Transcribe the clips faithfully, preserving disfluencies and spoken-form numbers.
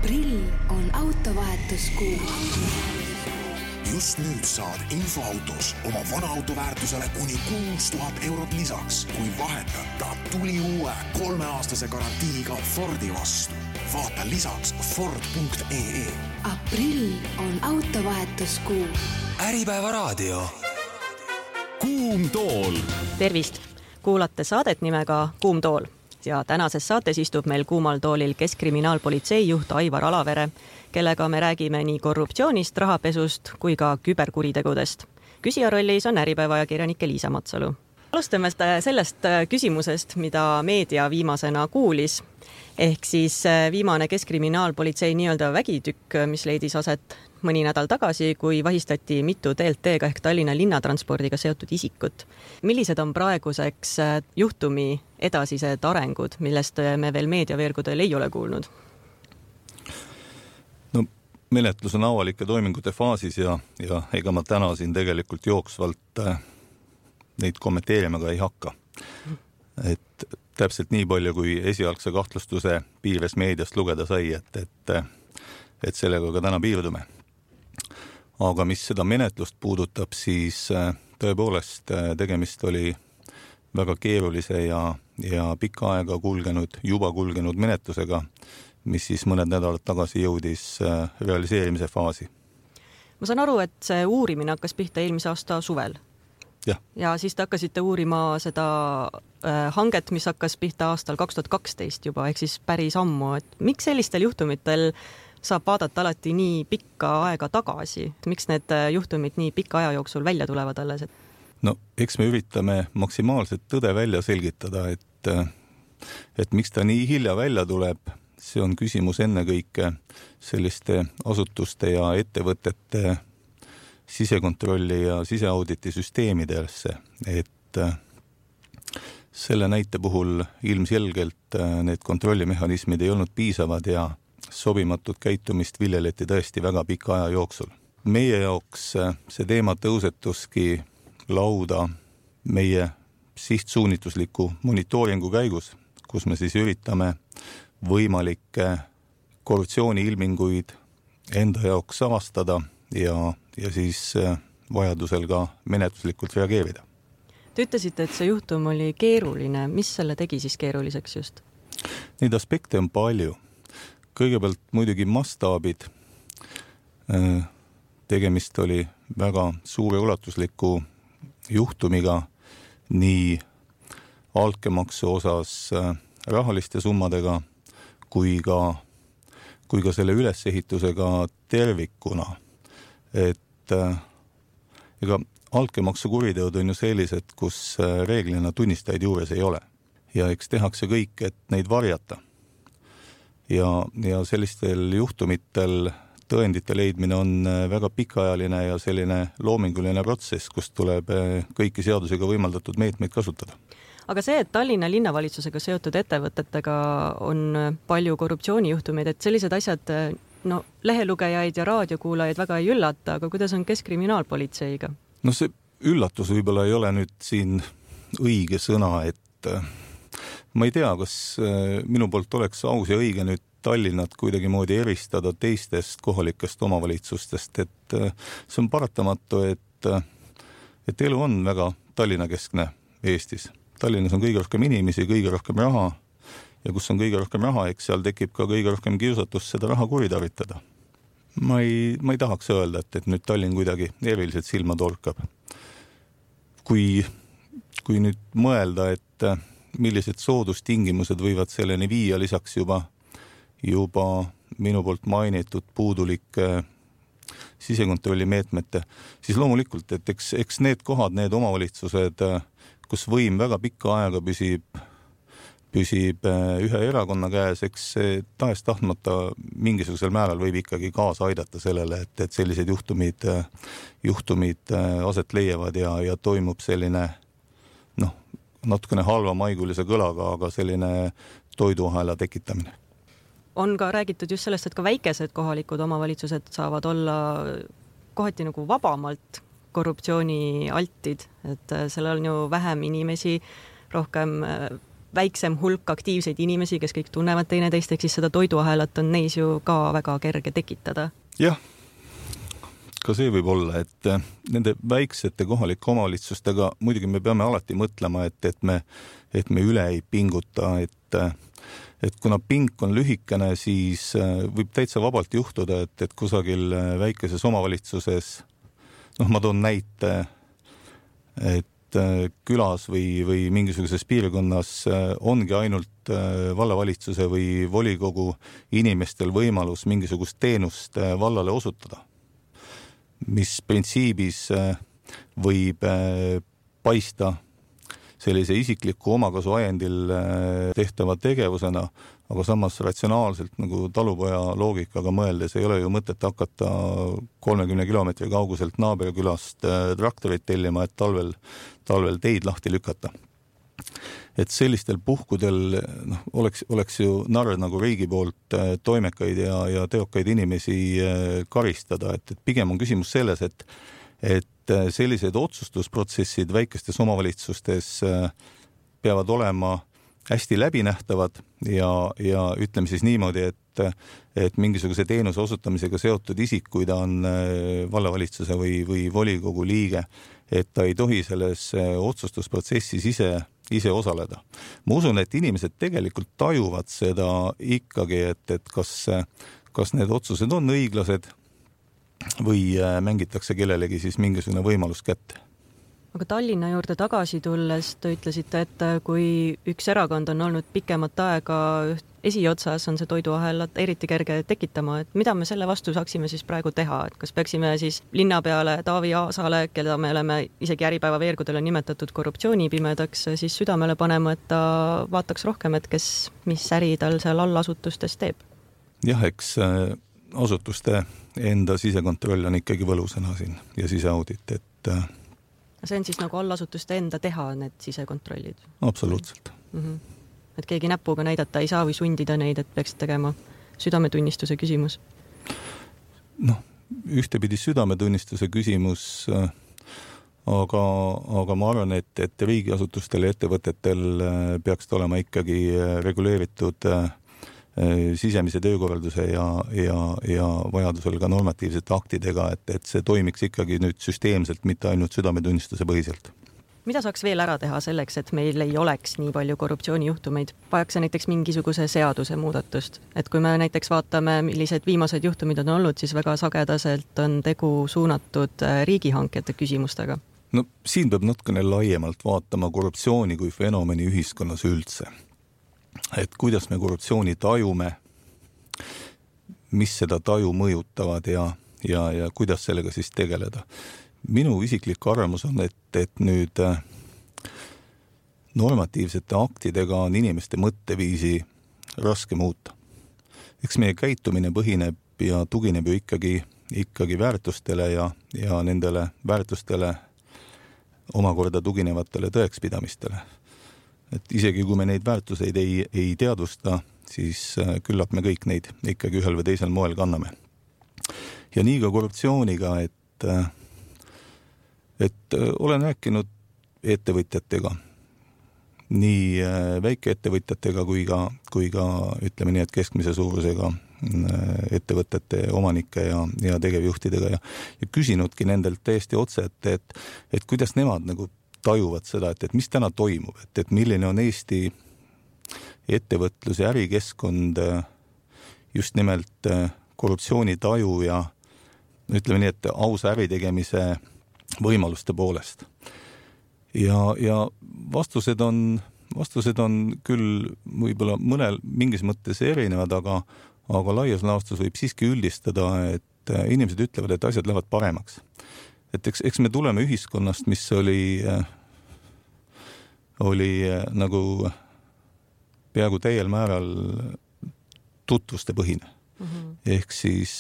Aprill on autovahetuskuu. Just nüüd saad infoautos oma vana auto väärtusele kuni kuus tuhat eurot lisaks, kui vahetada tuli uue kolmeaastase garantiiga Fordi vastu. Vaata lisaks Ford punkt ee. Aprill on autovahetuskuu. Äripäeva raadio. Kuum tool. Tervist! Kuulate saadet nimega Kuum tool. Ja tänases saates istub meil kuumal toolil Keskkriminaalpolitsei juht Aivar Alavere, kellega me räägime nii korruptsioonist, rahapesust kui ka küberkuritegudest. Küsija rollis on Äripäeva ajakirjanik Liisa Matsalu. Alustame sellest küsimusest, mida meedia viimasena kuulis. Ehk siis viimane Keskkriminaalpolitsei nii-öelda vägitükk, mis leidis aset mõni nädal tagasi, kui vahistati mitu T L T-ga ehk Tallinna linnatranspordiga seotud isikut. Millised on praeguseks juhtumi edasised arengud, millest me veel meediaveergudel ei ole kuulnud? No, menetlus on avalike toimingute faasis ja, ja ega ma täna siin tegelikult jooksvalt neid kommenteerima ka ei hakka. Et täpselt nii palju, kui esialgse kahtlustuse piires meediast lugeda sai, et, et, et sellega ka täna piirdume. Aga mis seda menetlust puudutab, siis tõepoolest tegemist oli väga keerulise ja, ja pikka aega kulgenud, juba kulgenud menetlusega, mis siis mõned nädalad tagasi jõudis realiseerimise faasi. Ma saan aru, et see uurimine hakkas pihta eelmise aasta suvel. Ja. ja siis te hakkasite uurima seda äh, hanget, mis hakkas pihta aastal kaks tuhat kaksteist juba, ehk siis päris ammu. Et miks sellistel juhtumitel saab vaadata alati nii pikka aega tagasi? Miks need juhtumid nii pika aja jooksul välja tulevad alles? No, eks me üritame maksimaalselt tõde välja selgitada, et, et miks ta nii hilja välja tuleb. See on küsimus ennekõike selliste asutuste ja ettevõtete sisekontrolli ja siseauditi süsteemidesse, et selle näite puhul ilmselgelt need kontrollimehhanismid ei olnud piisavad ja sobimatut käitumist viljeleti tõesti väga pika aja jooksul. Meie jaoks see teema tõusetuski lauda meie sihtsuunitusliku monitooringu käigus, kus me siis üritame võimalikke korruptsiooni ilminguid enda jaoks avastada ja, ja siis vajadusel ka menetluslikult reageerida. Te ütlesite, et see juhtum oli keeruline. Mis selle tegi siis keeruliseks just? Neid aspekte on palju. Kõigepealt muidugi mastaabid. Tegemist oli väga suure ulatusliku juhtumiga nii altkäemaksu osas rahaliste summadega kui ka, kui ka selle ülesehitusega tervikuna. Et ega altkäemaksu kuriteod on ju sellised, kus reeglina tunnistajaid juures ei ole. Ja eks tehakse kõik, et neid varjata. Ja, ja sellistel juhtumitel tõendite leidmine on väga pikaajaline ja selline loominguline protsess, kus tuleb kõiki seadusega võimaldatud meetmeid kasutada. Aga see, et Tallinna linnavalitsusega seotud ettevõtetega on palju korruptsioonijuhtumeid, et sellised asjad no, lehelugejaid ja raadiokuulajaid väga ei üllata, aga kuidas on Keskkriminaalpolitseiga? No see üllatus võib-olla ei ole nüüd siin õige sõna, et ma ei tea, kas minu poolt oleks aus ja õige nüüd Tallinnat kuidagi moodi eristada teistest kohalikest omavalitsustest, et see on paratamatu, et, et elu on väga Tallinna keskne Eestis. Tallinnas on kõige rohkem inimesi, kõige rohkem raha ja kus on kõige rohkem raha, eks seal tekib ka kõige rohkem kiusatus seda raha kuritarvitada. Ma ei, ma ei tahaks öelda, et, et nüüd Tallinn kuidagi eriliselt silma torkab. Kui, kui nüüd mõelda, et millised soodustingimused võivad selleni viia lisaks juba, juba minu poolt mainitud puudulike sisekontrolli meetmete, siis loomulikult, et eks, eks need kohad, need omavalitsused, kus võim väga pikka aega püsib, püsib ühe erakonna käes, eks tahes tahtmata mingisugusel määral võib ikkagi kaasa aidata sellele, et, et sellised juhtumid, juhtumid aset leiavad ja, ja toimub selline noh, natukene halva maigulise kõlaga, aga selline toiduahela tekitamine. On ka räägitud just sellest, et ka väikesed kohalikud omavalitsused saavad olla kohati nagu vabamalt korruptsiooni altid, et seal on ju vähem inimesi, rohkem väiksem hulk aktiivseid inimesi, kes kõik tunnevad teineteist, ehk siis seda toiduahelat on neis ju ka väga kerge tekitada. Jah, ka see võib olla, et nende väiksete kohalike omavalitsustega muidugi me peame alati mõtlema, et, et, me, et me üle ei pinguta, et, et kuna pink on lühikene, siis võib täitsa vabalt juhtuda, et, et kusagil väikeses omavalitsuses, noh, ma toon näite, et külas või, või mingisuguses piirkonnas ongi ainult vallavalitsuse või volikogu inimestel võimalus mingisugust teenust vallale osutada, mis printsiibis võib paista sellise isikliku omakasu ajendil tehtava tegevusena, aga samas ratsionaalselt nagu talupoja loogikaga mõeldes ei ole ju mõtet hakata kolmekümne kilomeetri kauguselt naaberkülast traktorit tellima, et talvel, talvel teid lahti lükata. Et sellistel puhkudel noh, oleks, oleks ju narr nagu riigi poolt toimekaid ja, ja teokaid inimesi karistada, et, et pigem on küsimus selles, et, et sellised otsustusprotsessid väikestes omavalitsustes peavad olema hästi läbinähtavad ja, ja ütleme siis niimoodi, et, et mingisuguse teenuse osutamisega seotud isik, kui ta on vallavalitsuse või, või volikogu liige, et ta ei tohi selles otsustusprotsessis ise, ise osaleda. Ma usun, et inimesed tegelikult tajuvad seda ikkagi, et, et kas, kas need otsused on õiglased või mängitakse kellelegi siis mingisugune võimalus kätte. Aga Tallinna juurde tagasi tulles te ütlesite, et kui üks erakond on olnud pikemat aega esiotsas, on see toiduahelat eriti kerge tekitama, et mida me selle vastu saaksime siis praegu teha, et kas peaksime siis linna peale Taavi Aasale, keda me oleme isegi Äripäeva veergudel on nimetatud korruptsioonipimedaks, siis südamele panema, et ta vaataks rohkem, et kes, mis äri tal seal allasutustes teeb? Jah, eks asutuste enda sisekontroll on ikkagi võlusõna siin ja siseaudit, et see on siis nagu allasutuste enda teha need sisekontrollid? Absoluutselt. Mm-hmm. Et keegi näpuga näidata ei saa või sundida neid, et peaks tegema südametunnistuse küsimus? Noh, ühtepidi südametunnistuse küsimus, aga, aga ma arvan, et, et riigiasutustel ja ettevõtetel peaks olema ikkagi reguleeritud sisemise töökorralduse ja, ja, ja vajadusel ka normatiivsete aktidega, et, et see toimiks ikkagi nüüd süsteemselt, mitte ainult südametunnistuse põhiselt. Mida saaks veel ära teha selleks, et meil ei oleks nii palju korruptsioonijuhtumeid? Vajaks näiteks mingisuguse seaduse muudatust. Et kui me näiteks vaatame, millised viimased juhtumid on olnud, siis väga sagedaselt on tegu suunatud riigihankete küsimustega. No siin peab natukene laiemalt vaatama korruptsiooni kui fenomeni ühiskonnas üldse. Et kuidas me korruptsiooni tajume, mis seda taju mõjutavad ja, ja, ja kuidas sellega siis tegeleda. Minu isiklik arvamus on, et, et nüüd normatiivsete aktidega on inimeste mõtteviisi raske muuta. Eks meie käitumine põhineb ja tugineb ju ikkagi, ikkagi väärtustele ja, ja nendele väärtustele omakorda tuginevatele tõekspidamistele. Et isegi kui me neid väärtuseid ei, ei teadvusta, siis küllap me kõik neid ikkagi ühel või teisel moel kanname. Ja nii ka korruptsiooniga, et, et olen rääkinud ettevõtjatega, nii väikeettevõtjatega kui ka, kui ka ütleme nii, et keskmise suurusega ettevõtete omanike ja, ja tegevjuhtidega ja, ja küsinudki nendelt täiesti otse, et, et, et kuidas nemad nagu tajuvad seda, et, et mis täna toimub, et, et milline on Eesti ettevõtlus ja ärikeskkond just nimelt korruptsioonitaju ja ütleme nii, et ausa äritegemise võimaluste poolest. Ja, ja vastused on, vastused on küll võib-olla mõnel mingis mõttes erinevad, aga, aga laias laastus võib siiski üldistada, et inimesed ütlevad, et asjad lähevad paremaks. Et eks, eks me tuleme ühiskonnast, mis oli, oli nagu peaaegu täiel määral tutvuste põhine. Mm-hmm. Ehk siis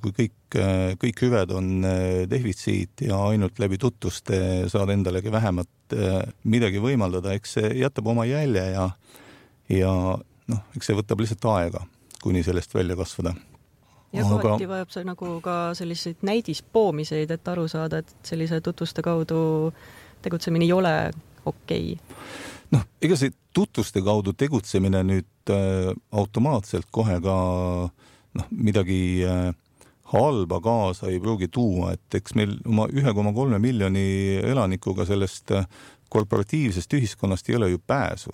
kui kõik, kõik hüved on defitsiit ja ainult läbi tutvuste saad endalegi vähemat midagi võimaldada, eks see jätab oma jälje ja, ja noh, eks see võtab lihtsalt aega, kuni sellest välja kasvada. Ja kohati aga... vajab see nagu ka selliseid näidispoomiseid, et aru saada, et sellise tutvuste kaudu tegutsemine ei ole okei. noh, ega see tutvuste kaudu tegutsemine nüüd äh, automaatselt kohe ka noh, midagi äh, halba kaasa ei pruugi tuua, et eks meil oma üks koma kolm miljoni elanikuga sellest äh, korporatiivsest ühiskonnast ei ole ju pääsu.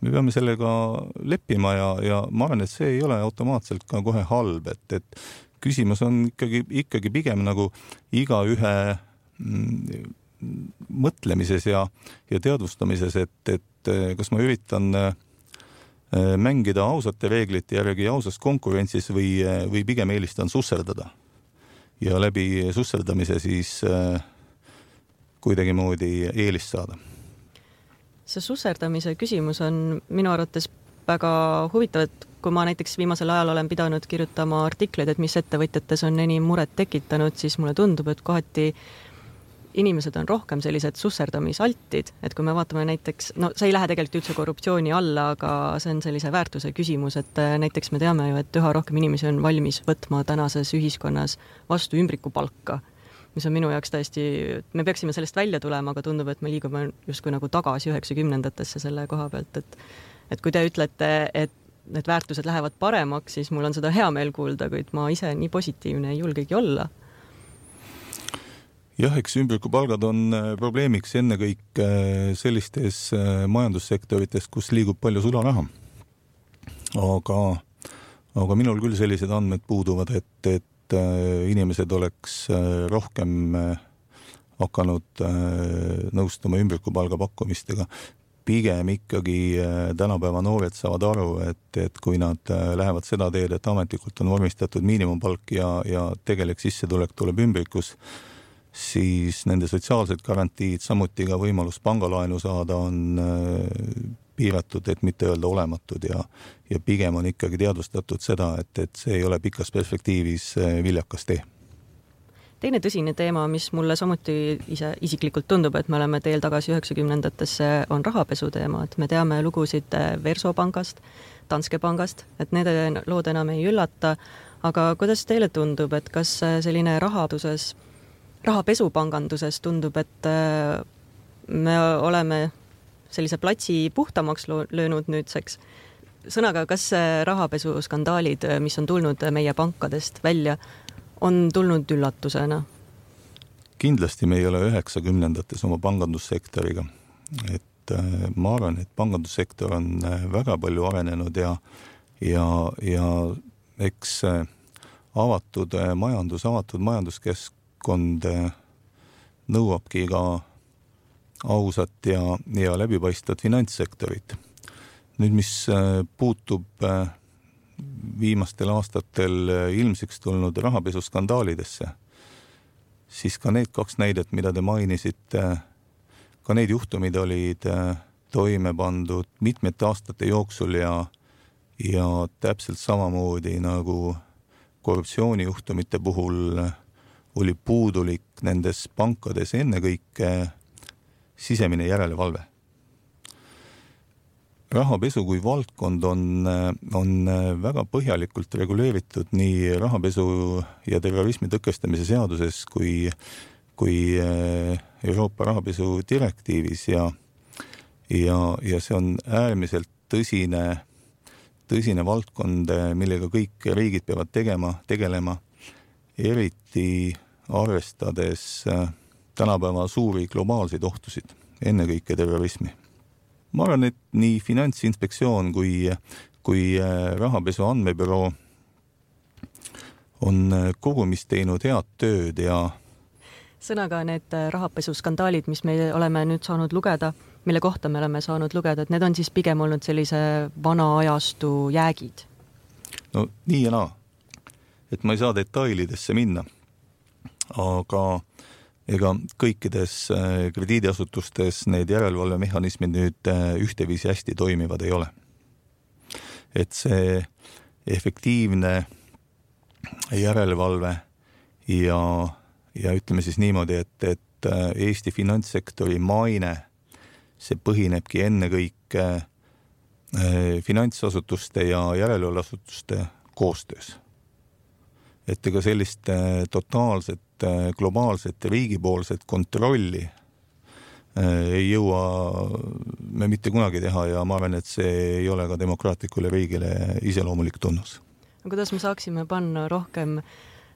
Me peame sellega leppima ja, ja ma arvan, et see ei ole automaatselt ka kohe halb, et, et küsimus on ikkagi, ikkagi pigem nagu iga ühe mm, mõtlemises ja, ja teadvustamises, et, et kas ma üritan mängida ausate reeglite järgi ausas konkurentsis või, või pigem eelistan susserdada. Ja läbi susserdamise siis kuidagi moodi eelist saada. See susserdamise küsimus on minu arvates väga huvitav, et kui ma näiteks viimasel ajal olen pidanud kirjutama artikleid, et mis ettevõtjates on enim muret tekitanud, siis mulle tundub, et kohati inimesed on rohkem sellised susserdamisaltid, et kui me vaatame näiteks, no see ei lähe tegelikult üldse korruptsiooni alla, aga see on sellise väärtuse küsimus, et näiteks me teame ju, et üha rohkem inimesi on valmis võtma tänases ühiskonnas vastu ümbrikupalka, mis on minu jaoks täiesti, me peaksime sellest välja tulema, aga tundub, et me liigume justkui nagu tagasi üheksakümnendatesse selle koha pealt, et, et kui te ütlete, et need väärtused lähevad paremaks, siis mul on seda hea meel kuulda, kuid ma ise nii positiivne ei julgegi olla. Jah, eks ümbrikupalgad on probleemiks ennekõik sellistes majandussektorites, kus liigub palju sularaha. Aga, aga minul küll sellised andmed puuduvad, et, et inimesed oleks rohkem hakanud nõustuma ümbrikupalga pakkumistega. Pigem ikkagi tänapäeva noored saavad aru, et, et kui nad lähevad seda teed, et ametlikult on vormistatud miinimumpalk ja, ja tegelik sissetulek tuleb ümbrikus, siis nende sotsiaalsed garantiid, samuti ka võimalus pangalaenu saada on piiratud, et mitte öelda olematud ja, ja pigem on ikkagi teadvustatud seda, et, et see ei ole pikas perspektiivis viljakas tee. Teine tõsine teema, mis mulle samuti ise isiklikult tundub, et me oleme teel tagasi üheksakümnendatesse, on rahapesu teema, et me teame lugusid Versopangast, Danske pangast, et need lood enam ei üllata, aga kuidas teile tundub, et kas selline rahaduses, rahapesupanganduses tundub, et me oleme sellise platsi puhtamaks löönud nüüdseks. Sõnaga, kas rahapesuskandaalid, mis on tulnud meie pankadest välja, on tulnud üllatusena? Kindlasti me ei ole üheksakümnendates oma pangandussektoriga. Et ma arvan, et pangandussektor on väga palju arenenud ja, ja, ja eks avatud majandus, avatud majanduskeskkond nõuabki ka ausat ja, ja läbipaistvat finantssektorit. Nüüd, mis puutub viimastel aastatel ilmsiks tulnud rahapesuskandaalidesse, siis ka need kaks näidet, mida te mainisite, ka need juhtumid olid toime pandud mitmete aastate jooksul ja, ja täpselt samamoodi nagu korruptsioonijuhtumite puhul oli puudulik nendes pankades ennekõike sisemine järelevalve. Rahapesu kui valdkond on, on väga põhjalikult reguleeritud nii rahapesu ja terrorismi tõkestamise seaduses kui, kui Euroopa rahapesu direktiivis ja, ja, ja see on äärmiselt tõsine, tõsine valdkond, millega kõik riigid peavad tegema, tegelema, eriti arvestades tänapäeva suuri globaalseid ohtusid, ennekõike terrorismi. Ma arvan, et nii Finantsinspektsioon kui, kui rahapesu andmebüroo on kogumis teinud head tööd ja sõnaga need rahapesuskandaalid, mis me oleme nüüd saanud lugeda, mille kohta me oleme saanud lugeda, et need on siis pigem olnud sellise vana ajastu jäägid? No nii ja naa. Et ma ei saa detailidesse minna, aga ega kõikides krediidiasutustes need järelevalvemehhanismid nüüd ühteviisi hästi toimivad ei ole. Et see efektiivne järelevalve ja, ja ütleme siis niimoodi, et, et Eesti finantssektori maine, see põhinebki ennekõike finantsasutuste ja järelevalveasutuste koostöös. Et ega sellist totaalset globaalset riigipoolset kontrolli ei jõua me mitte kunagi teha ja ma arvan, et see ei ole ka demokraatlikule riigile iseloomulik tunnus. Kuidas me saaksime panna rohkem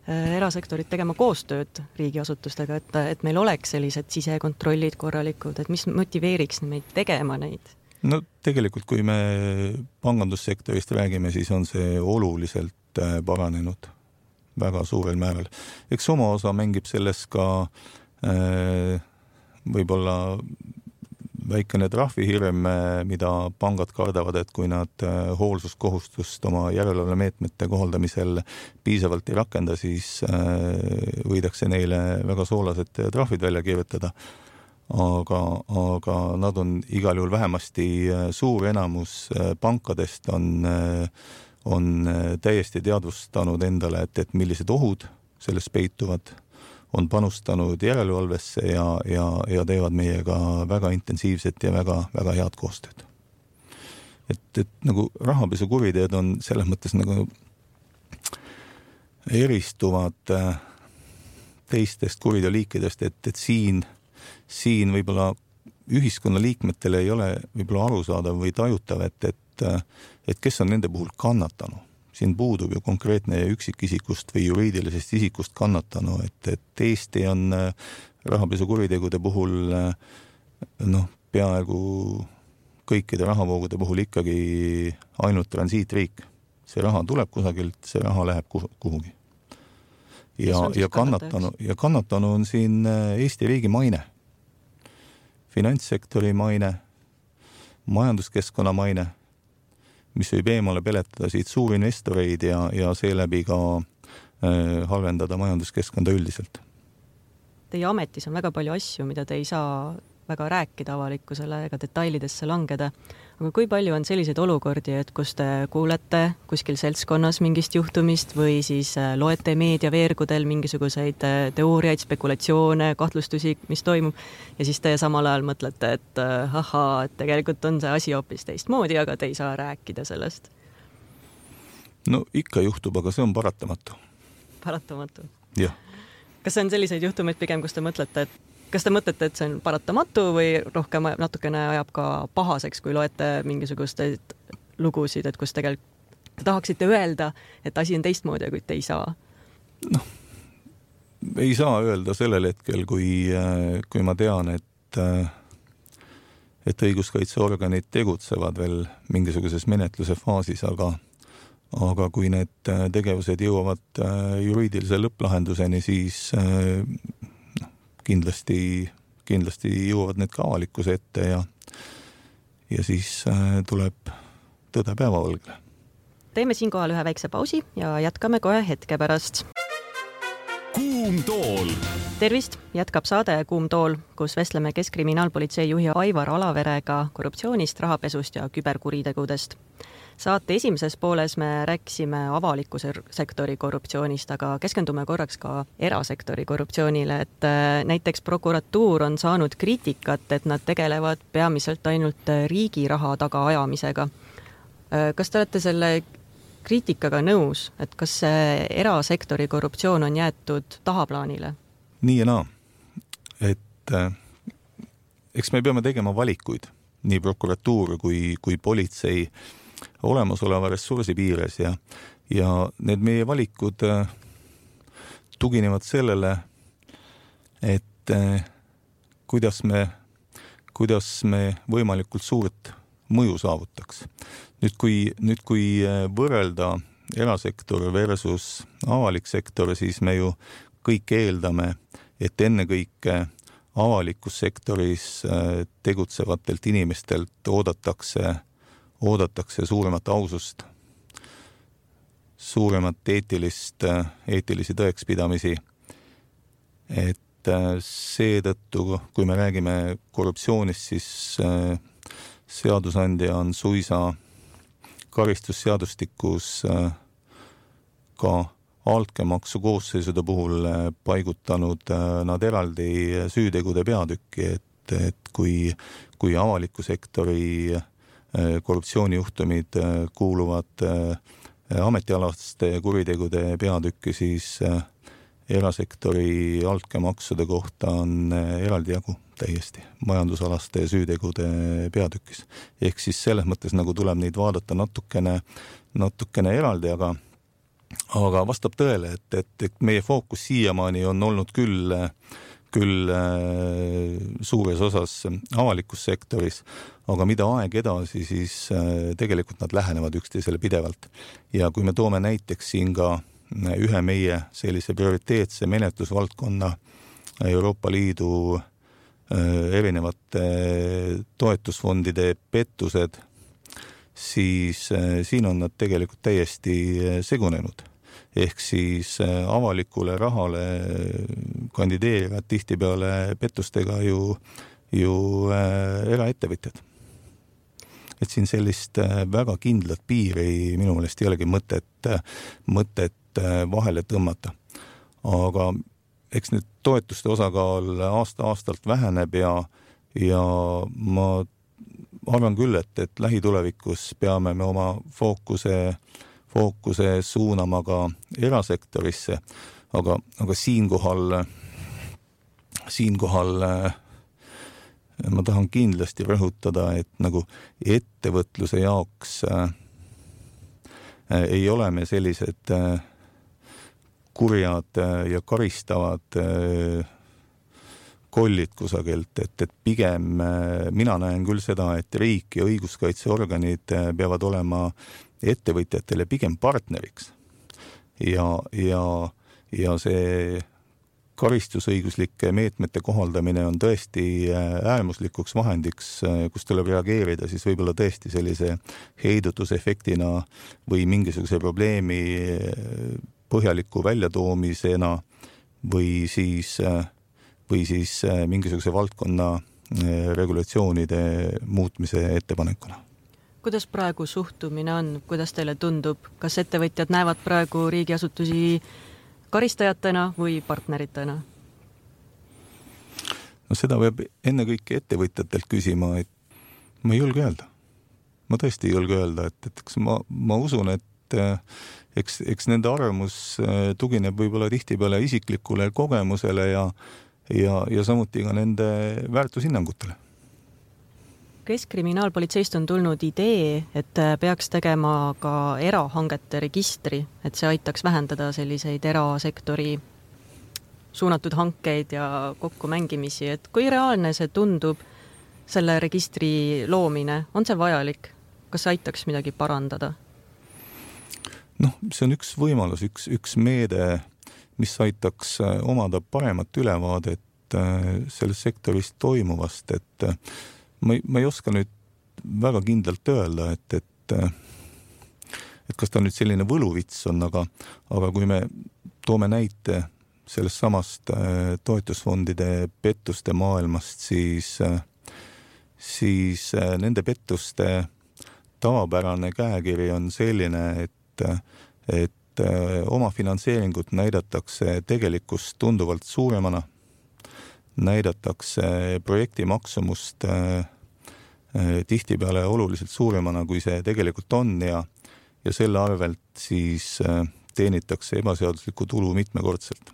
erasektorit tegema koostööd riigiasutustega, et, et meil oleks sellised sisekontrollid korralikud, et mis motiveeriks meid tegema neid? No tegelikult, kui me pangandussektorist räägime, siis on see oluliselt paranenud väga suurel määral. Eks oma osa mängib selles ka äh, võib-olla väikene trahvihirm, mida pangad kardavad, et kui nad hoolsuskohustust oma järelevalvemeetmete kohaldamisel piisavalt ei rakenda, siis võidakse neile väga soolased trahvid välja kirjutada. Aga, aga nad on igal juhul vähemasti suur enamus pankadest on, on täiesti teadvustanud endale, et, et millised ohud selles peituvad, on panustanud järelevalvesse ja, ja, ja teevad meiega väga intensiivset ja väga, väga head koostööd. Et, et nagu rahapesukuriteod on selles mõttes nagu eristuvad teistest kuriteoliikidest, et, et siin, siin võib-olla ühiskonna liikmetele ei ole võib-olla arusaadav või tajutav, et, et, et kes on nende puhul kannatanu. Siin puudub ju konkreetne üksikisikust või juriidilisest isikust kannatanu, et, et Eesti on rahapesukuritegude puhul noh, peaaegu kõikide rahavoogude puhul ikkagi ainult transiitriik. See raha tuleb kusagilt, see raha läheb kuhugi. Ja, ja, kannatanu, ja kannatanu on siin Eesti riigi maine, finantssektori maine, majanduskeskkonna maine, mis võib eemale peletada siit suurinvestoreid ja, ja seeläbi ka äh, halvendada majanduskeskkonda üldiselt. Teie ametis on väga palju asju, mida te ei saa väga rääkida avalikkusele ega detailidesse langeda. Aga kui palju on selliseid olukordi, et kus te kuulete kuskil seltskonnas mingist juhtumist või siis loete meediaveergudel mingisuguseid teooriaid, spekulatsioone, kahtlustusi, mis toimub ja siis te samal ajal mõtlete, et ahaa, et tegelikult on see asi hoopis teistmoodi, aga te ei saa rääkida sellest? No ikka juhtub, aga see on paratamatu. Paratamatu? Jah. Kas see on selliseid juhtumeid pigem, kus te mõtlete, et Kas te mõtlete, et see on paratamatu või rohkem natukene ajab ka pahaseks, kui loete mingisuguseid lugusid, et kus tegelikult te tahaksite öelda, et asi on teistmoodi, kui te ei saa? Noh, ei saa öelda sellel hetkel, kui, kui ma tean, et, et õiguskaitseorganid tegutsevad veel mingisuguses menetluse faasis, aga, aga kui need tegevused jõuavad juriidilise lõpplahenduseni, siis Kindlasti, kindlasti jõuavad need ka avalikkuse ette ja, ja siis tuleb tõde päevavalgele. Teeme siinkohal ühe väikse pausi ja jätkame kohe hetke pärast. Kuum tool. Tervist, jätkab saade Kuum tool, kus vestleme Keskkriminaalpolitsei juhi Aivar Alaverega korruptsioonist, rahapesust ja küberkuritegudest. Saate esimeses pooles me rääkisime avaliku sektori korruptsioonist, aga keskendume korraks ka erasektori korruptsioonile, et näiteks prokuratuur on saanud kriitikat, et nad tegelevad peamiselt ainult riigi raha taga ajamisega. Kas te olete selle kriitikaga nõus, et kas see erasektori korruptsioon on jäetud tahaplaanile? Nii ja naa, et eks me peame tegema valikuid, nii prokuratuur kui, kui politsei olemasoleva ressursi piires ja, ja need meie valikud tuginevad sellele, et kuidas me, kuidas me võimalikult suurt mõju saavutaks. Nüüd kui, nüüd kui võrrelda erasektor versus avalik sektor, siis me ju kõik eeldame, et ennekõike avalikus sektoris tegutsevatelt inimestelt oodatakse oodatakse suuremat ausust, suuremat eetilist, eetilisi tõekspidamisi. Et seetõttu, kui me räägime korruptsioonist, siis seadusandja on suisa karistusseadustikus ka altkäemaksu koosseisude puhul paigutanud nad eraldi süütegude peatükki, et, et kui, kui avaliku sektori korruptsioonijuhtumid kuuluvad ametialaste kuritegude peatükki, siis erasektori altkäemaksude kohta on eraldi jagu täiesti majandusalaste süütegude peatükis. Ehk siis selles mõttes nagu tuleb neid vaadata natukene, natukene eraldi, aga, aga vastab tõele, et, et, et meie fookus siiamaani on olnud küll, küll suures osas avalikus sektoris, aga mida aeg edasi, siis tegelikult nad lähenevad üksteisele pidevalt. Ja kui me toome näiteks siin ka ühe meie sellise prioriteetse menetlusvaldkonna Euroopa Liidu erinevate toetusfondide pettused, siis siin on nad tegelikult täiesti segunenud. Ehk siis avalikule rahale kandideerivad tihtipeale pettustega ju, ju eraettevõtjad. Et siin sellist väga kindlat piiri minu meelest ei olegi mõtet, mõtet vahele tõmmata. Aga eks nüüd toetuste osakaal aasta-aastalt väheneb ja, ja ma arvan küll, et, et lähitulevikus peame me oma fookuse, fookuse suunama ka erasektorisse, aga, aga siinkohal, siinkohal ma tahan kindlasti rõhutada, et nagu ettevõtluse jaoks äh, ei ole me sellised äh, kurjad ja karistavad kollid kusagilt, et, et pigem mina näen küll seda, et riik ja õiguskaitseorganid peavad olema ettevõtjatele pigem partneriks. Ja, ja, ja see karistusõiguslike meetmete kohaldamine on tõesti äärmuslikuks vahendiks, kus tuleb reageerida siis võib-olla tõesti sellise heidutusefektina või mingisuguse probleemi põhjaliku väljatoomisena või siis, või siis mingisuguse valdkonna regulatsioonide muutmise ettepanekuna. Kuidas praegu suhtumine on? Kuidas teile tundub? Kas ettevõtjad näevad praegu riigiasutusi karistajatena või partneritena? No seda võib enne kõike ettevõtjatelt küsima, et ma ei julge öelda. Ma tõesti ei julge öelda, et, et ma, ma usun, et eks, eks nende arvamus tugineb võib-olla tihtipeale isiklikule kogemusele ja, ja, ja samuti ka nende väärtushinnangutele. Keskkriminaalpolitseist on tulnud idee, et peaks tegema ka erahangete registri, et see aitaks vähendada selliseid erasektori suunatud hankeid ja kokkumängimisi. Et kui reaalne see tundub, selle registri loomine, on see vajalik? Kas see aitaks midagi parandada? Noh, see on üks võimalus, üks, üks meede, mis aitaks omada paremat ülevaadet selles sektoris toimuvast, et ma ei, ma ei oska nüüd väga kindlalt öelda, et, et, et kas ta nüüd selline võluvits on, aga, aga kui me toome näite sellest samast toetusfondide pettuste maailmast, siis, siis nende pettuste tavapärane käekiri on selline, et, et oma finantseeringut näidatakse tegelikkust tunduvalt suuremana, näidatakse projekti maksumust tihtipeale oluliselt suuremana, kui see tegelikult on ja, ja selle arvelt siis teenitakse ebaseaduslikku tulu mitmekordselt.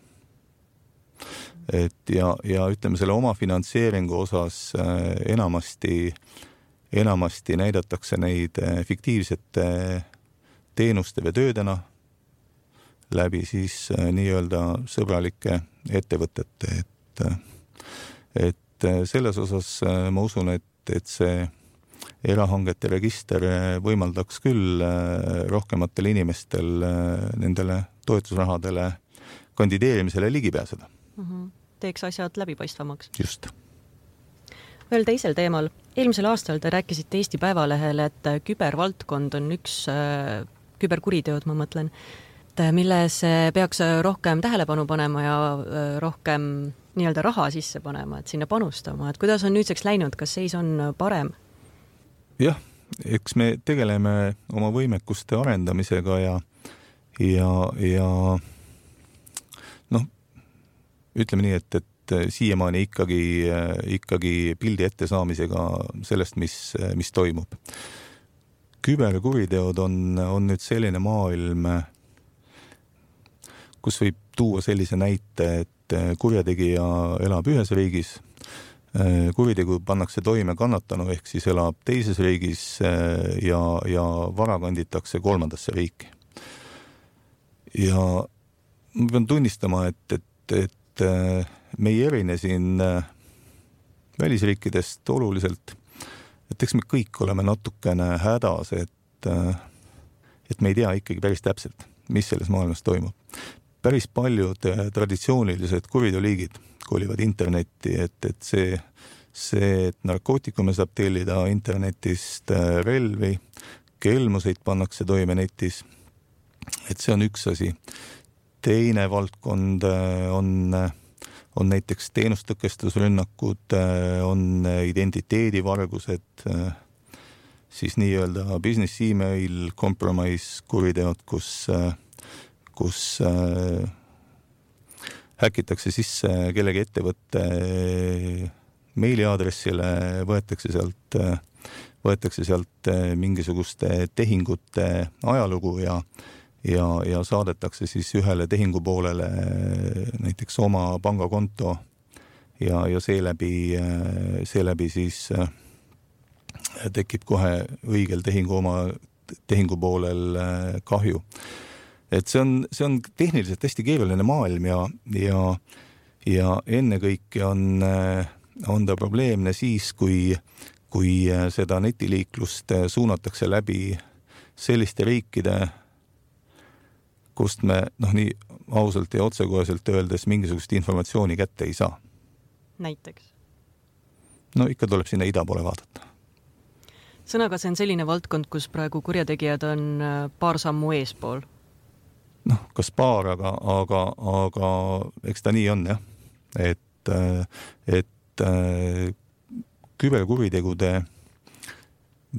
Et ja, ja ütleme selle oma finantseeringu osas enamasti, enamasti näidatakse neid fiktiivsete teenuste või töödena läbi siis nii-öelda sõbralike ettevõtete, et et selles osas ma usun, et, et see erahangete register võimaldaks küll rohkematel inimestel nendele toetusrahadele kandideerimisele ligi pääseda. Mm-hmm. Teeks asjad läbipaistvamaks. Just. Veel teisel teemal. Eelmisel aastal te rääkisite Eesti Päevalehele, et kübervaldkond on üks äh, küberkuriteod, ma mõtlen, milles peaks rohkem tähelepanu panema ja äh, rohkem nii-öelda raha sisse panema, et sinna panustama. Et kuidas on nüüdseks läinud? Kas seis on parem? Jah, eks me tegeleme oma võimekuste arendamisega ja, ja, ja noh, ütleme nii, et, et siiamaani ikkagi, ikkagi pildi ette saamisega sellest, mis, mis toimub. Küberkuriteod on, on nüüd selline maailm, kus võib tuua sellise näite, et kurjategija elab ühes riigis, kuritegu pannakse toime kannatanu ehk siis elab teises riigis ja, ja vara kanditakse kolmandasse riiki. Ja ma pean tunnistama, et, et, et me ei erine siin välisriikidest oluliselt, et eks me kõik oleme natukene hädas, et, et me ei tea ikkagi päris täpselt, mis selles maailmas toimub. Päris paljud traditsioonilised kuriteoliigid kolivad internetti, et, et see, see, et narkootikume saab tellida internetist, relvi, kelmuseid pannakse toime netis, et see on üks asi. Teine valdkond on, on näiteks teenustõkestusrünnakud, on identiteedivargused, siis nii-öelda business email compromise kuriteod, kus, kus häkitakse sisse kellegi ettevõtte meiliaadressile, võetakse sealt, võetakse sealt mingisuguste tehingute ajalugu ja, ja, ja saadetakse siis ühele tehingupoolele näiteks oma pangakonto ja, ja seeläbi, seeläbi siis tekib kohe õigel tehingu oma tehingupoolel kahju. Et see on, see on tehniliselt hästi keeruline maailm ja, ja, ja ennekõike on, on ta probleemne siis, kui, kui seda netiliiklust suunatakse läbi selliste riikide, kust me noh, nii ausalt ja otsekoheselt öeldes mingisugust informatsiooni kätte ei saa. Näiteks? No ikka tuleb sinna ida poole vaadata. Sõnaga, see on selline valdkond, kus praegu kurjategijad on paar sammu eespool. noh, kas paar, aga, aga, aga eks ta nii on, jah. Et, et küberkuritegude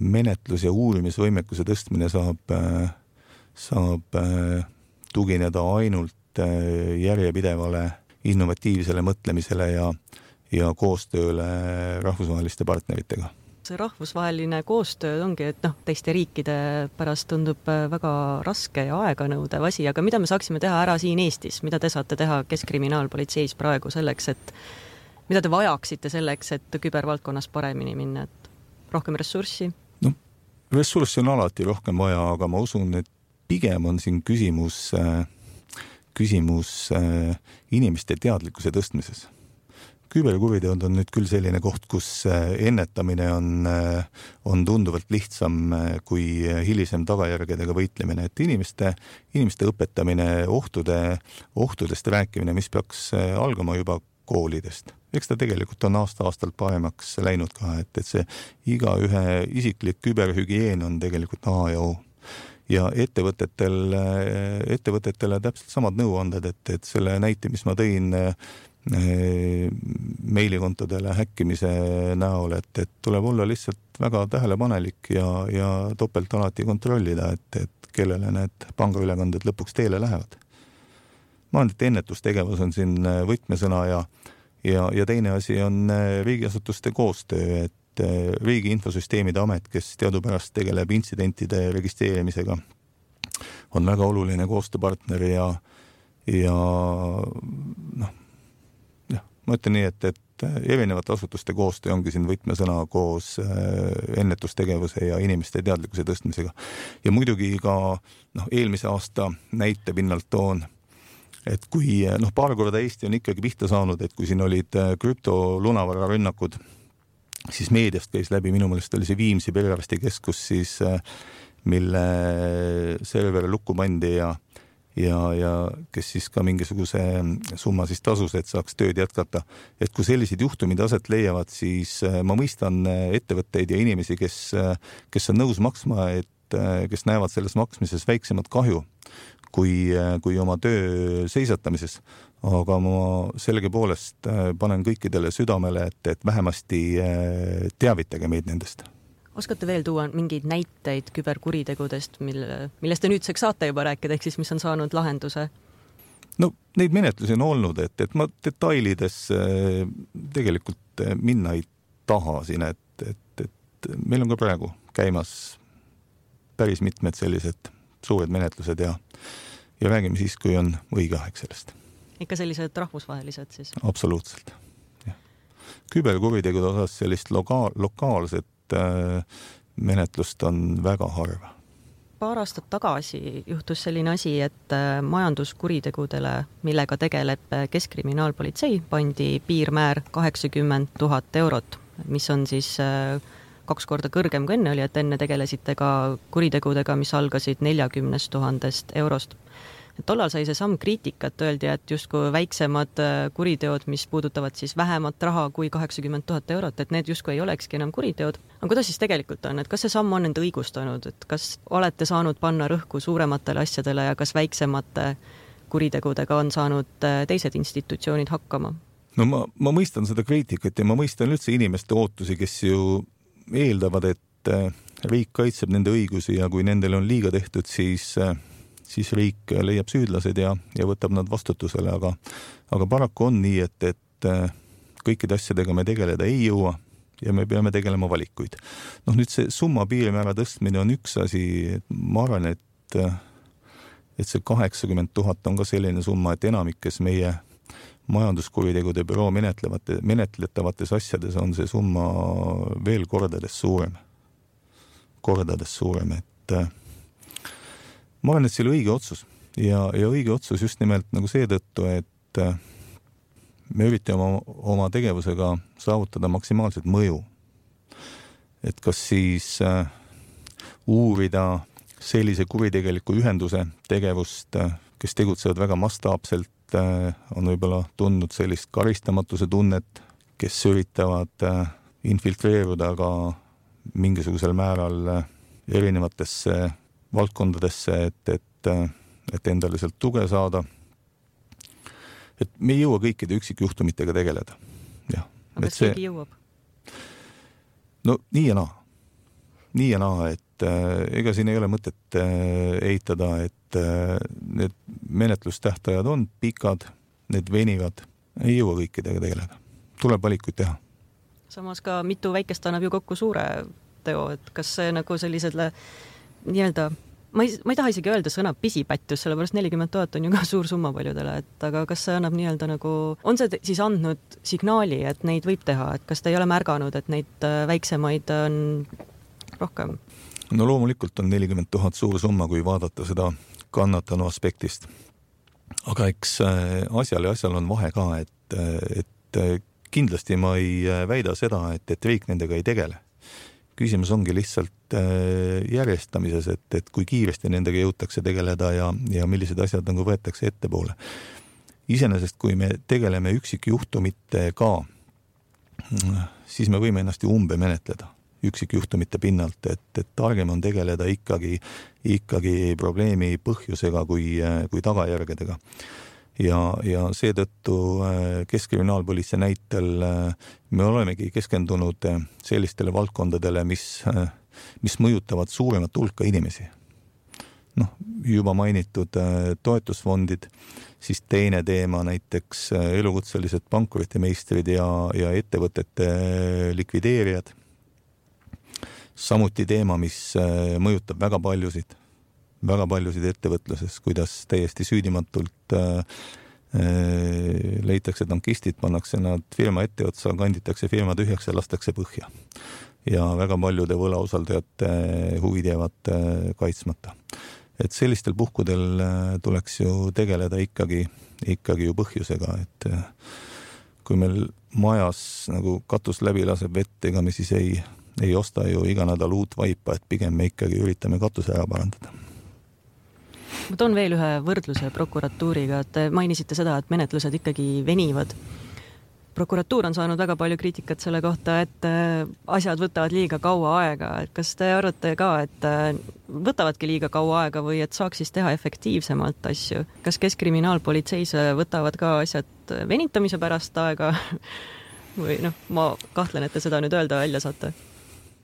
menetlus ja uurimisvõimekuse tõstmine saab, saab tugineda ainult järjepidevale innovatiivsele mõtlemisele ja, ja koostööle rahvusvaheliste partneritega. See rahvusvaheline koostöö ongi, et noh, teiste riikide pärast tundub väga raske ja aeganõudev asi, aga mida me saaksime teha ära siin Eestis? Mida te saate teha Keskkriminaalpolitseis praegu selleks, et mida te vajaksite selleks, et kübervaldkonnas paremini minna? Et rohkem ressurssi? No, ressurssi on alati rohkem vaja, aga ma usun, et pigem on siin küsimus, küsimus inimeste teadlikkuse tõstmises. Küberkuriteod on nüüd küll selline koht, kus ennetamine on, on tunduvalt lihtsam kui hilisem tagajärgedega võitlemine, et inimeste, inimeste õpetamine, ohtude, ohtudest rääkimine, mis peaks algama juba koolidest. Eks ta tegelikult on aasta-aastalt paremaks läinud ka, et, et see iga ühe isiklik küberhügieen on tegelikult A ja O. Ja ettevõtetel, ettevõtetele täpselt samad nõuanded, et, et selle näite, mis ma tõin meilikontodele häkkimise näol, et, et tuleb olla lihtsalt väga tähelepanelik ja, ja topelt alati kontrollida, et, et kellele need pangaülekanded lõpuks teele lähevad. Ma arvan, et ennetustegevus on siin võtmesõna ja, ja, ja teine asi on riigiasutuste koostöö, et riigi infosüsteemide amet, kes teadupärast tegeleb intsidentide registreerimisega, on väga oluline koostööpartner ja, ja noh, ma ütlen nii, et, et erinevate asutuste koostöö ongi siin võtmesõna koos ennetustegevuse ja inimeste teadlikkuse tõstmisega. Ja muidugi ka noh, eelmise aasta näite pinnalt toon, et kui noh, paar korda Eesti on ikkagi pihta saanud, et kui siin olid krüptolunavara rünnakud, siis meediast käis läbi, minu meelest oli see Viimsi perearstikeskus, siis mille server lukku pandi ja ja, ja kes siis ka mingisuguse summa siis tasus, et saaks tööd jätkata. Et kui sellised juhtumid aset leiavad, siis ma mõistan ettevõtteid ja inimesi, kes, kes on nõus maksma, et kes näevad selles maksmises väiksemat kahju kui, kui oma töö seisatamises. Aga ma selge poolest panen kõikidele südamele, et, et vähemasti teavitage meid nendest. Oskate veel tuua mingeid näiteid küberkuritegudest, mille, millest te nüüdseks saate juba rääkida, ehk siis mis on saanud lahenduse? No neid menetlusi on olnud, et, et ma detailides tegelikult minna ei taha siin, et, et, et meil on ka praegu käimas päris mitmed sellised suured menetlused ja, ja räägime siis, kui on õige aeg sellest. Ikka sellised rahvusvahelised siis? Absoluutselt. küberkuritegude osas sellist loka- lokaalset äh, menetlust on väga harva. Paar aastat tagasi juhtus selline asi, et majanduskuritegudele, millega tegeleb Keskkriminaalpolitsei, pandi piirmäär kaheksakümmend tuhat eurot, mis on siis kaks korda kõrgem kui enne oli, et enne tegelesite ka kuritegudega, mis algasid neljakümnest tuhandest eurost. Tollal sai see samm kriitikat, öeldi, et justkui väiksemad kuriteod, mis puudutavad siis vähemat raha kui kaheksakümmend tuhat eurot, et need justkui ei olekski enam kuriteod. Aga kuidas siis tegelikult on, et kas see samm on end õigustanud, et kas olete saanud panna rõhku suurematele asjadele ja kas väiksemate kuritegudega on saanud teised institutsioonid hakkama? No ma, ma mõistan seda kriitikat ja ma mõistan üldse inimeste ootusi, kes ju eeldavad, et riik kaitseb nende õigusi ja kui nendel on liiga tehtud, siis siis riik leiab süüdlased ja, ja võtab nad vastutusele, aga, aga paraku on nii, et, et kõikide asjadega me tegeleda ei jõua ja me peame tegelema valikuid. Noh, nüüd see summa piirmäära tõstmine on üks asi, et ma arvan, et, et see kaheksakümmend tuhat on ka selline summa, et enamikes meie majanduskuritegude büroo menetlevate, menetletavates asjades on see summa veel kordades suurem. Kordades suurem, et ma arvan, et see oli õige otsus ja, ja õige otsus just nimelt nagu seetõttu, et me üritame oma, oma tegevusega saavutada maksimaalset mõju. Et kas siis äh, uurida sellise kuritegeliku ühenduse tegevust, kes tegutsevad väga mastaapselt, äh, on võib-olla tundnud sellist karistamatuse tunnet, kes üritavad äh, infiltreeruda ka mingisugusel määral äh, erinevatesse valdkondadesse, et, et, et endale sealt tuge saada. Et me ei jõua kõikide üksikjuhtumitega tegeleda. Ja, aga kas keegi jõuab? No nii ja naa. Nii ja naa, et äh, ega siin ei ole mõtet äh, eitada, et äh, need menetlustähtajad on pikad, need venivad, ei jõua kõikidega tegeleda. Tuleb valikuid teha. Samas ka mitu väikest annab ju kokku suure teo, et kas see nagu sellisele nii-öelda, ma ei, ma ei taha isegi öelda sõna pisipättus, sellepärast nelikümmend tuhat on ju ka suur summa paljudele, et aga kas see annab nii-öelda nagu, on see siis andnud signaali, et neid võib teha, et kas te ei ole märganud, et neid väiksemaid on rohkem? No loomulikult on nelikümmend tuhat suur summa, kui vaadata seda kannatanu aspektist. Aga eks asjal ja asjal on vahe ka, et, et kindlasti ma ei väida seda, et, et riik nendega ei tegele. Küsimus ongi lihtsalt järjestamises, et, et kui kiiresti nendega jõutakse tegeleda ja, ja millised asjad nagu võetakse ettepoole. Iseenesest, kui me tegeleme üksikjuhtumitega, siis me võime ennast ju umbe menetleda üksikjuhtumite pinnalt, et, et targem on tegeleda ikkagi, ikkagi probleemi põhjusega kui, kui tagajärgedega. Ja, ja seetõttu Keskkriminaalpolitsei näitel me olemegi keskendunud sellistele valdkondadele, mis, mis mõjutavad suuremat hulka inimesi. Noh, juba mainitud toetusfondid, siis teine teema näiteks elukutselised pankrutimeistrid ja, ja ettevõtete likvideerijad. Samuti teema, mis mõjutab väga paljusid. väga paljusid ettevõtluses, kuidas täiesti süüdimatult äh, leitakse tankistid, pannakse nad firma etteotsa, kanditakse firma tühjaks ja lastakse põhja. Ja väga paljude võlausaldajate huvid jäävad äh, kaitsmata. Et sellistel puhkudel äh, tuleks ju tegeleda ikkagi, ikkagi ju põhjusega, et äh, kui meil majas nagu katus läbi laseb vett, ega me siis ei, ei osta ju iga nädal uut vaipa, et pigem me ikkagi üritame katuse ära parandada. Ma toon veel ühe võrdluse prokuratuuriga, et mainisite seda, et menetlused ikkagi venivad. Prokuratuur on saanud väga palju kriitikat selle kohta, et asjad võtavad liiga kaua aega. Kas te arvate ka, et võtavadki liiga kaua aega või et saaks siis teha efektiivsemalt asju? Kas Keskkriminaalpolitseis võtavad ka asjad venitamise pärast aega? Või noh, ma kahtlen, et te seda nüüd öelda välja saate.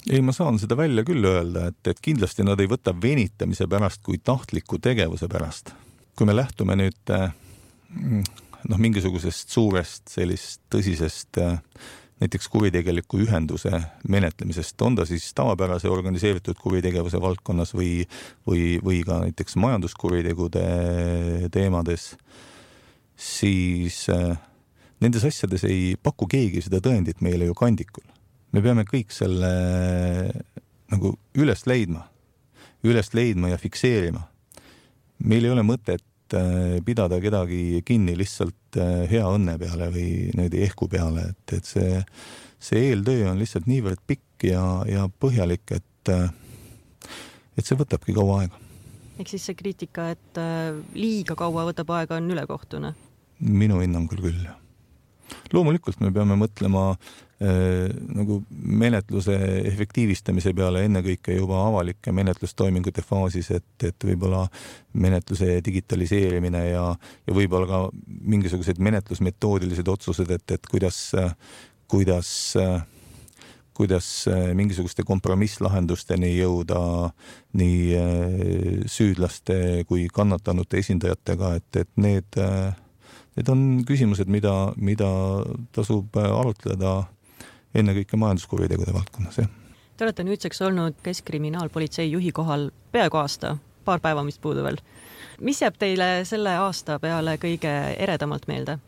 Ei, ma saan seda välja küll öelda, et, et kindlasti nad ei võta venitamise pärast kui tahtliku tegevuse pärast. Kui me lähtume nüüd noh, mingisugusest suurest sellist tõsisest näiteks kuritegeliku ühenduse menetlemisest, on ta siis tavapärase organiseeritud kuritegevuse valdkonnas või, või, või ka näiteks majanduskuritegude teemades, siis nendes asjades ei paku keegi seda tõendit meile ju kandikul. Me peame kõik selle nagu üles leidma, üles leidma ja fikseerima. Meil ei ole mõtet pidada kedagi kinni lihtsalt hea õnne peale või nende ehku peale, et, et see, see eeltöö on lihtsalt niivõrd pikk ja, ja põhjalik, et, et see võtabki kaua aega. Ehk siis see kriitika, et liiga kaua võtab aega, on ülekohtune? Minu hinnangul küll. Loomulikult me peame mõtlema äh, nagu menetluse efektiivistamise peale ennekõike juba avalike menetlustoimingute faasis, et, et võib-olla menetluse digitaliseerimine ja, ja võib-olla ka mingisugused menetlusmetoodilised otsused, et, et kuidas, kuidas, kuidas mingisuguste kompromisslahendusteni jõuda nii süüdlaste kui kannatanute esindajatega, et, et need Need on küsimused, mida, mida tasub arutleda ennekõike majanduskuritegude valdkonnas. Ja. Te olete nüüdseks olnud Keskkriminaalpolitsei juhi kohal peaaegu aasta, paar päeva mis puudu veel. Mis jääb teile selle aasta peale kõige eredamalt meelde?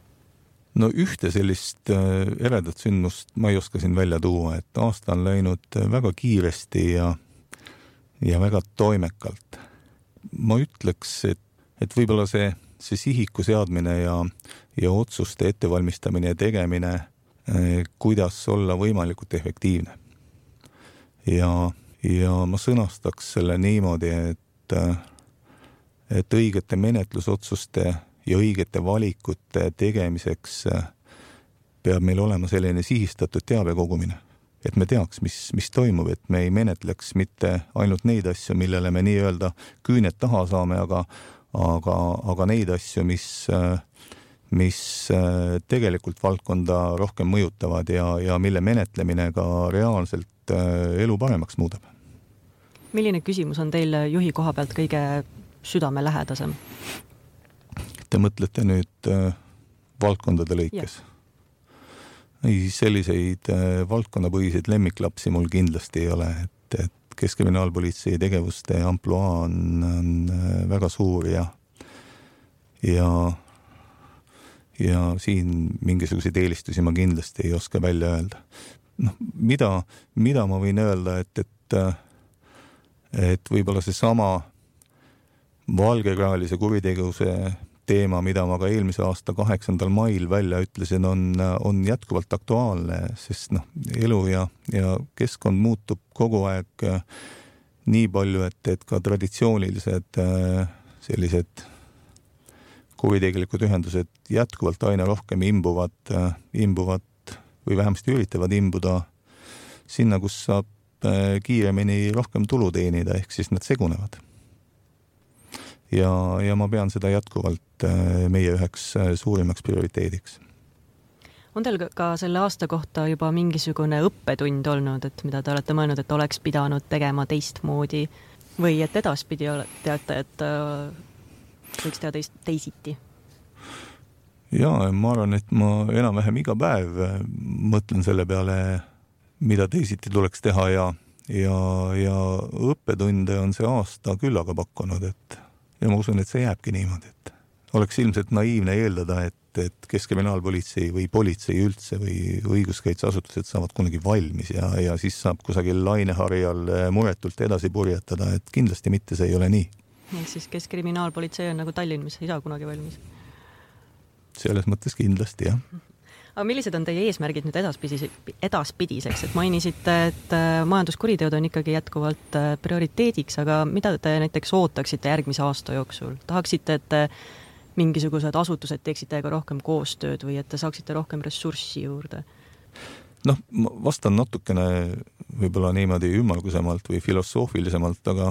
No ühte sellist eredat sündmust ma ei oska siin välja tuua, et aasta on läinud väga kiiresti ja, ja väga toimekalt. Ma ütleks, et, et võib-olla see see sihiku seadmine ja, ja otsuste ettevalmistamine ja tegemine, kuidas olla võimalikult efektiivne. Ja, ja ma sõnastaks selle niimoodi, et, et õigete menetlusotsuste ja õigete valikute tegemiseks peab meil olema selline sihistatud teabe kogumine. Et me teaks, mis, mis toimub, et me ei menetleks mitte ainult neid asju, millele me nii-öelda küüned taha saame, aga Aga, aga neid asju, mis, mis tegelikult valdkonda rohkem mõjutavad ja, ja mille menetlemine ka reaalselt elu paremaks muudab. Milline küsimus on teil juhi koha pealt kõige südamelähedasem? Te mõtlete nüüd valdkondade lõikes? Ei, selliseid valdkonnapõhiseid lemmiklapsi mul kindlasti ei ole, et, et Keskkriminaalpolitsei tegevuste ampluaa on, on väga suur ja, ja, ja siin mingisuguseid eelistusi ma kindlasti ei oska välja öelda. No, mida, mida ma võin öelda, et, et, et võib-olla see sama valgekraelise kuritegevuse teema, mida ma ka eelmise aasta kaheksandal mail välja ütlesin, on, on jätkuvalt aktuaalne, sest noh, elu ja, ja keskkond muutub kogu aeg nii palju, et, et ka traditsioonilised sellised kuritegelikud ühendused jätkuvalt aina rohkem imbuvad, imbuvad või vähemasti üritavad imbuda sinna, kus saab kiiremini rohkem tulu teenida, ehk siis nad segunevad. Ja, ja ma pean seda jätkuvalt meie üheks suurimaks prioriteediks. On teil ka selle aasta kohta juba mingisugune õppetund olnud, et mida te olete mõelnud, et oleks pidanud tegema teistmoodi või et edaspidi teate, et võiks teha teist, teisiti? Jaa, ma arvan, et ma enam-vähem iga päev mõtlen selle peale, mida teisiti tuleks teha ja, ja, ja õppetunde on see aasta küll aga pakkunud, et ja ma usun, et see jääbki niimoodi, et oleks ilmselt naiivne eeldada, et, et Keskkriminaalpolitsei või politsei üldse või õiguskaitseasutused saavad kunagi valmis ja, ja siis saab kusagil laineharjal muretult edasi purjetada, et kindlasti mitte see ei ole nii. Ehk siis Keskkriminaalpolitsei on nagu Tallinn, mis ei saa kunagi valmis? Selles mõttes kindlasti, jah. Aga millised on teie eesmärgid nüüd edaspidiseks? Et mainisite, et majanduskuriteod on ikkagi jätkuvalt prioriteediks, aga mida te näiteks ootaksite järgmise aasta jooksul? Tahaksite, et mingisugused asutused teeksite ka rohkem koostööd või et te saaksite rohkem ressurssi juurde? Noh, ma vastan natukene võib-olla niimoodi ümmargusemalt või filosoofilisemalt, aga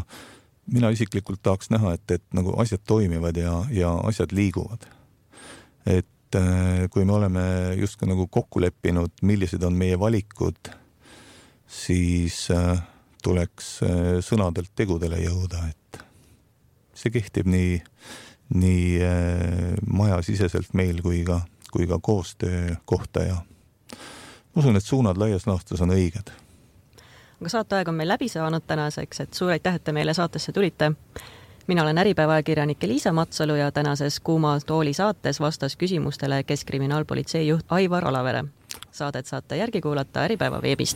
mina isiklikult tahaks näha, et, et nagu asjad toimivad ja, ja asjad liiguvad. Et kui me oleme justkui nagu kokku leppinud, millised on meie valikud, siis tuleks sõnadelt tegudele jõuda, et see kehtib nii, nii majasiseselt meil kui ka, kui ka koostöö kohta ja usun, et suunad laias laastus on õiged. Aga saateaeg on meil läbi saanud tänaseks, et suur aitäh, et te meile saatesse tulite. mina olen Äripäeva ajakirjanik Liisa Matsalu ja tänases Kuuma tooli saates vastas küsimustele Keskkriminaalpolitsei juht Aivar Alavere. Saadet saate järgi kuulata Äripäeva veebist.